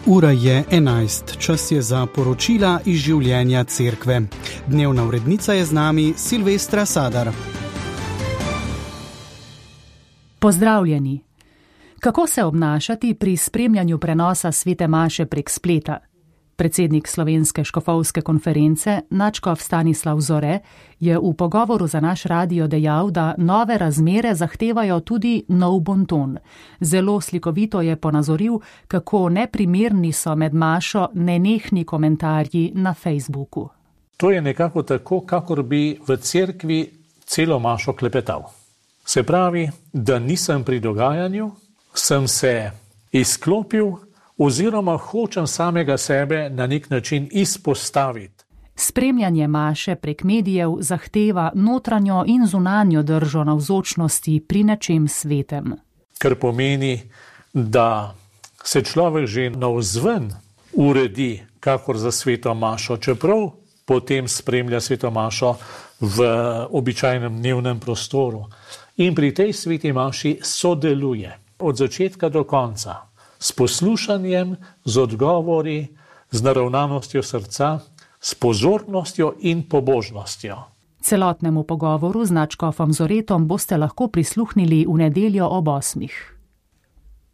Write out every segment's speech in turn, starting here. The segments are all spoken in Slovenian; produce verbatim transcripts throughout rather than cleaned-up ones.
Ura je enajst, čas je za poročila iz življenja cerkve. Dnevna urednica je z nami Silvestra Sadar. Pozdravljeni. Kako se obnašati pri spremljanju prenosa svete maše prek spleta? Predsednik Slovenske škofovske konference, nadškof Stanislav Zore, je v pogovoru za naš radio dejal, da nove razmere zahtevajo tudi nov bonton. Zelo slikovito je ponazoril, kako neprimerni so med mašo nenehni komentarji na Facebooku. To je nekako tako, kakor bi v cerkvi celo mašo klepetal. Se pravi, da nisem pri dogajanju, sem se izklopil, oziroma hočem samega sebe na nek način izpostaviti. Spremljanje maše prek medijev zahteva notranjo in zunanjo držo navzočnosti pri nečem svetem. Kar pomeni, da se človek že navzven uredi, kakor za sveto mašo, čeprav potem spremlja sveto mašo v običajnem dnevnem prostoru. In pri tej sveti maši sodeluje od začetka do konca. S poslušanjem, z odgovori, z naravnanostjo srca, s pozornostjo in pobožnostjo. Celotnemu pogovoru z nadškofom Zoretom boste lahko prisluhnili v nedeljo ob osmih.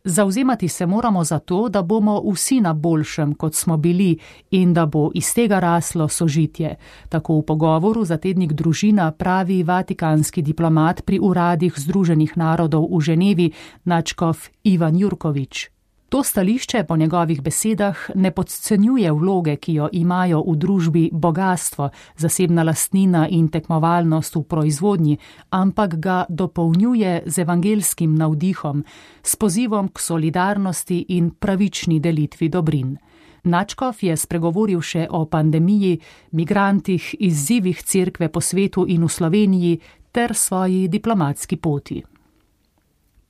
Zavzemati se moramo za to, da bomo vsi na boljšem, kot smo bili, in da bo iz tega raslo sožitje. Tako v pogovoru za tednik Družina pravi vatikanski diplomat pri uradih Združenih narodov v Ženevi, nadškof Ivan Jurkovič. To stališče po njegovih besedah ne podcenjuje vloge, ki jo imajo v družbi bogastvo, zasebna lastnina in tekmovalnost v proizvodnji, ampak ga dopolnjuje z evangelskim navdihom, s pozivom k solidarnosti in pravični delitvi dobrin. Nadškof je spregovoril še o pandemiji, migrantih, izzivih cerkve po svetu in v Sloveniji ter svoji diplomatski poti.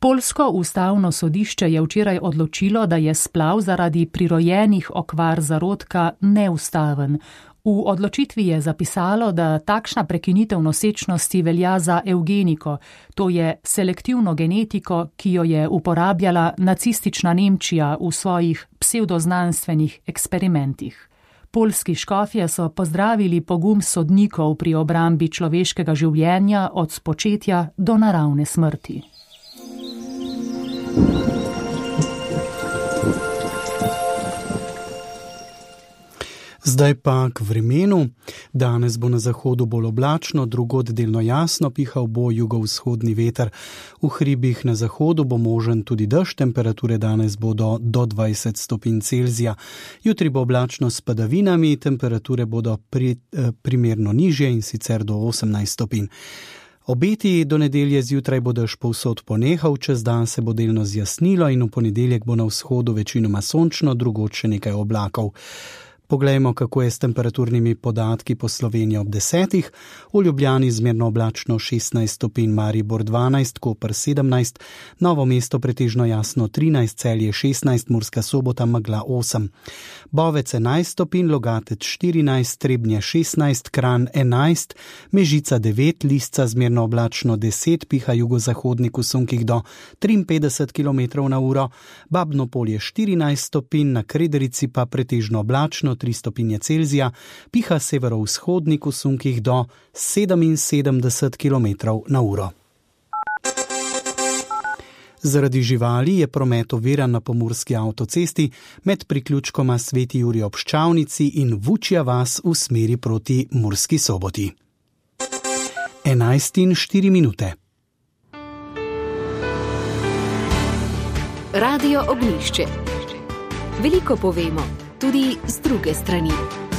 Poljsko ustavno sodišče je včeraj odločilo, da je splav zaradi prirojenih okvar zarodka neustaven. V odločitvi je zapisalo, da takšna prekinitev nosečnosti velja za evgeniko, to je selektivno genetiko, ki jo je uporabljala nacistična Nemčija v svojih psevdoznanstvenih eksperimentih. Poljski škofje so pozdravili pogum sodnikov pri obrambi človeškega življenja od spočetja do naravne smrti. Zdaj pa k vremenu. Danes bo na zahodu bolj oblačno, drugod delno jasno, pihal bo jugovzhodni veter. V hribih na zahodu bo možen tudi dež, temperature danes bodo do dvajset stopinj Celzija. Jutri bo oblačno s padavinami, temperature bodo pri, eh, primerno nižje in sicer do osemnajst stopinj. Obeti do nedelje zjutraj bo dež povsod ponehal, čez dan se bo delno zjasnilo in v ponedeljek bo na vzhodu večinoma sončno, drugod še nekaj oblakov. Poglejmo, kako je s temperaturnimi podatki po Sloveniji ob desetih. V Ljubljani zmerno oblačno šestnajst stopinj, Maribor dvanajst, Koper sedemnajst, Novo mesto pretežno jasno trinajst, Celje šestnajst, Murska Sobota megla osem. Bovec enajst stopinj, Logatec štirinajst, Trebnje šestnajst, Kranj enajst, Mežica devet, Lisca zmerno oblačno deset, piha jugozahodnik v sunkih do triinpetdeset kilometrov na uro, Babno Polje štirinajst stopinj, na Krederici pa pretežno oblačno tri stopinje Celzija, piha severovzhodnik v sunkih do sedeminsedemdeset kilometrov na uro. Zaradi živali je promet oviran na pomurski avtocesti med priključkoma Sveti Jurij ob Ščavnici in Vučja vas v smeri proti Murski Soboti. enajst in štiri minute. Radio Ognjišče. Veliko povemo, tudi z druge strani.